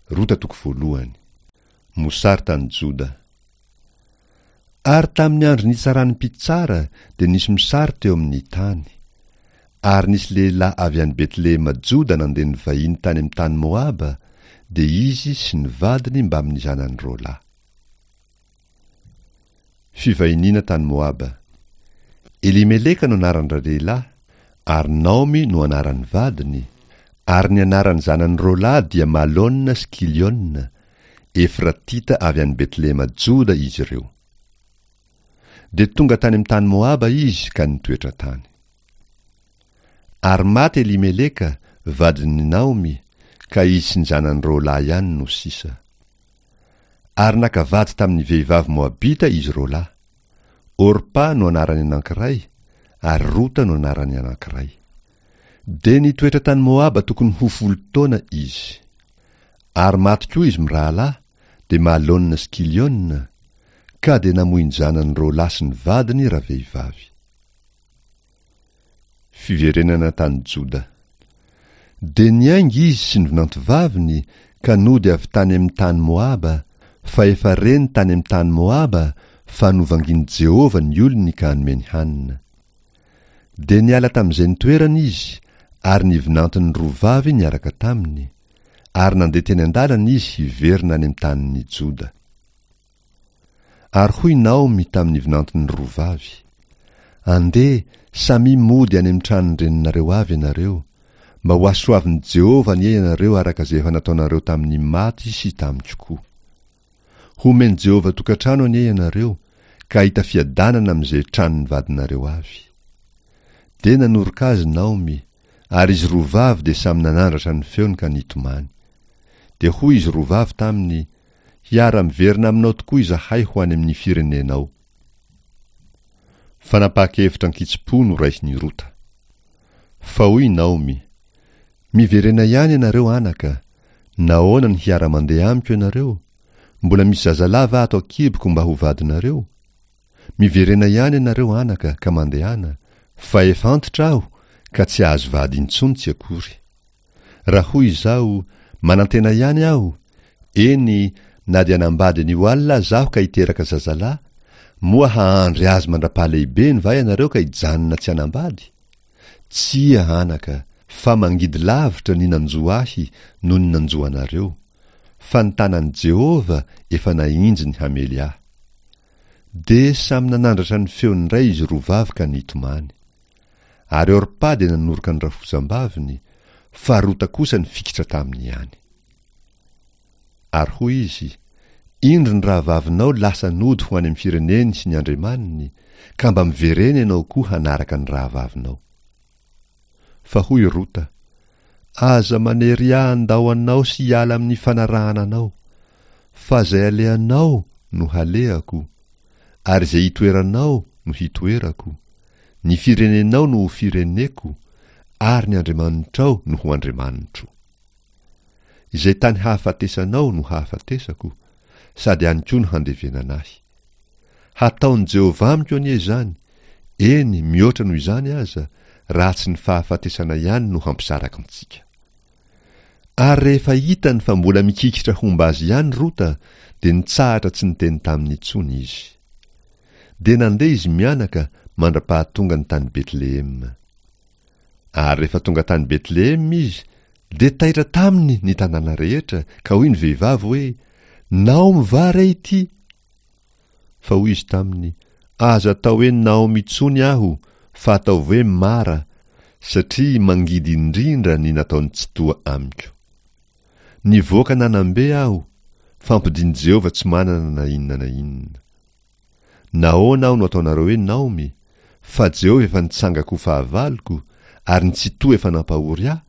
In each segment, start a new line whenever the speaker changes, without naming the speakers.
Rota toko voalohany. Mosary tany Joda. Ary tamin'ny andro nitsaran'ny mpitsara dia nisy mosary teo amin'ny tany. Ary nisy lehilahy avy any Betlehema Joda nandeha nivahiny tany amin'ny tany Moaba, dia izy sy ny vadiny mbamin'ny zanany roalahy. Fivahiniana tany Moaba. Elimeleka no anaran-dralehilahy, ary Naomy no anaran'ny vadiny, ary ny anaran'ny zanany roalahy dia Malona sy Kiliona, Efratita avy any Betlehema Joda izy ireo. Dia tonga tany amin'ny tany Moaba izy ka nitoetra tany. Ary maty Elimeleka, vadin'i Naomy, ka izy sy ny zanany roalahy ihany no sisa. Ary naka vady tamin'ny vehivavy Moabita izy roalahy. Orpa no anaran'ny anankiray, ary Rota no anaran'ny anankiray. Dia nitoetra tany Moaba tokony ho folo taona izy. Ary maty koa izy mirahalahy, dia Malona sy Kiliona, ka dia namoy ny zanany roalahy sy ny vadiny ravehivavy. Fiverenana tany Joda. Dia niainga izy sy ny vinantovaviny ka nody avy tany amin'ny tany Moaba, fa efa reny tany amin'ny tany Moaba fa novangin'i Jehovah ny olony ka nomeny hanina. Dia niala tamin'izay nitoerany izy, ary ny vinantony roa vavy niaraka taminy, ary nandeha teny an-dalana izy hiverina any amin'ny tanin'i Joda. Ary hoy Naomy tamin'ny vinantony roa vavy, Andeha, samia mody any amin'ny tranon-dreninareo avy ianareo, mba hohasoavin'i Jehovah anie ianareo araka izay efa nataonareo tamin'ny maty sy tamiko koa. Homen'i Jehovah tokantrano anie ianareo, ka hahita fiadanana amin'izay tranon'ny vadinareo avy. Dia nanoroka azy Naomy, ary izy roa vavy dia samy nanandratra ny feony ka nitomany. Dia hoy izy roa vavy taminy, Hiara-miverina aminao tokoa izahay ho any amin'ny firenenao. Fanapahan-kevitra an-kitsim-po noraisin'i Rota. Fa hoy i Naomy, Miverena ihany ianareo anaka, nahoana no hiara-mandeha amiko ianareo? Mbola misy zazalahy va ato an-kiboko mba ho vadinareo? Miverena ihany ianareo anaka ka mandehana, fa efa antitra aho ka tsy hahazo vady intsony tsy akory. Raha hoy izaho, Manantena ihany aho, eny, na dia hanambady an'io alina aza aho ka hiteraka zazalahy, moa hahandry azy mandra-pahalehibeny va ianareo ka hijanona tsy hanambady? Tsia, anaka, fa mangidy lavitra ny nanjo ahy noho ny nanjo anareo, fa ny tanan'i Jehovah efa nahinjy ny hamely ahy. Dia samy nanandratra ny feony indray izy roa vavy ka nitomany. Ary Orpa dia nanoroka ny rafozam-baviny, fa Rota kosa nifikitra taminy ihany. Ary hoy izy, Indro ny rahavavinao lasa nody ho any amin'ny fireneny sy ny andriamaniny, ka mba miverena ianao koa hanaraka ny rahavavinao. Fa hoy Rota, Aza manery ahy handao anao sy hiala amin'ny fanarahana anao, fa izay alehanao no halehako, ary izay itoeranao no hitoerako, ny firenenao no ho fireneko, ary ny Andriamanitrao no ho Andriamanitro. Izay tany hahafatesanao no hahafatesako, sady any koa no handevenana ahy. Hataon'i Jehovah amiko anie izany, eny, mihoatra noho izany aza, raha tsy ny fahafatesana ihany no hampisaraka antsika. Ary rehefa hitany fa mbola mikikitra homba azy ihany Rota, dia nitsahatra tsy niteny taminy intsony izy. Dia nandeha izy mianaka mandra-pahatongany tany Betlehema. Ary rehefa tonga tany Betlehema izy, dia taitra taminy ny tanàna rehetra, ka hoy ny vehivavy hoe, Naomy va re ity? Fa hoy izy taminy, Aza atao hoe Naomy intsony aho, fa ataovy hoe Mara, satria mangidy indrindra ny nataon'i Tsitoha amiko. Nivoaka nanam-be aho, fa ampodian'i Jehovah tsy manana na inona na inona. Nahoana aho no ataonareo hoe Naomy, fa Jehovah efa nitsanga-ko fahavaloko, ary ny Tsitoha efa nampahory ahy?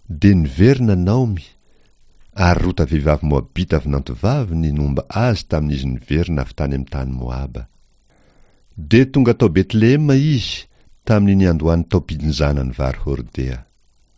Dia niverina Naomy, ary Rota vehivavy Moabita vinantovaviny nomba azy tamin'izy niverina avy tany amin'ny tany Moaba. Dia tonga tao Betlehema izy tamin'ny niandohan'ny taom-pijinjana ny vary hordea.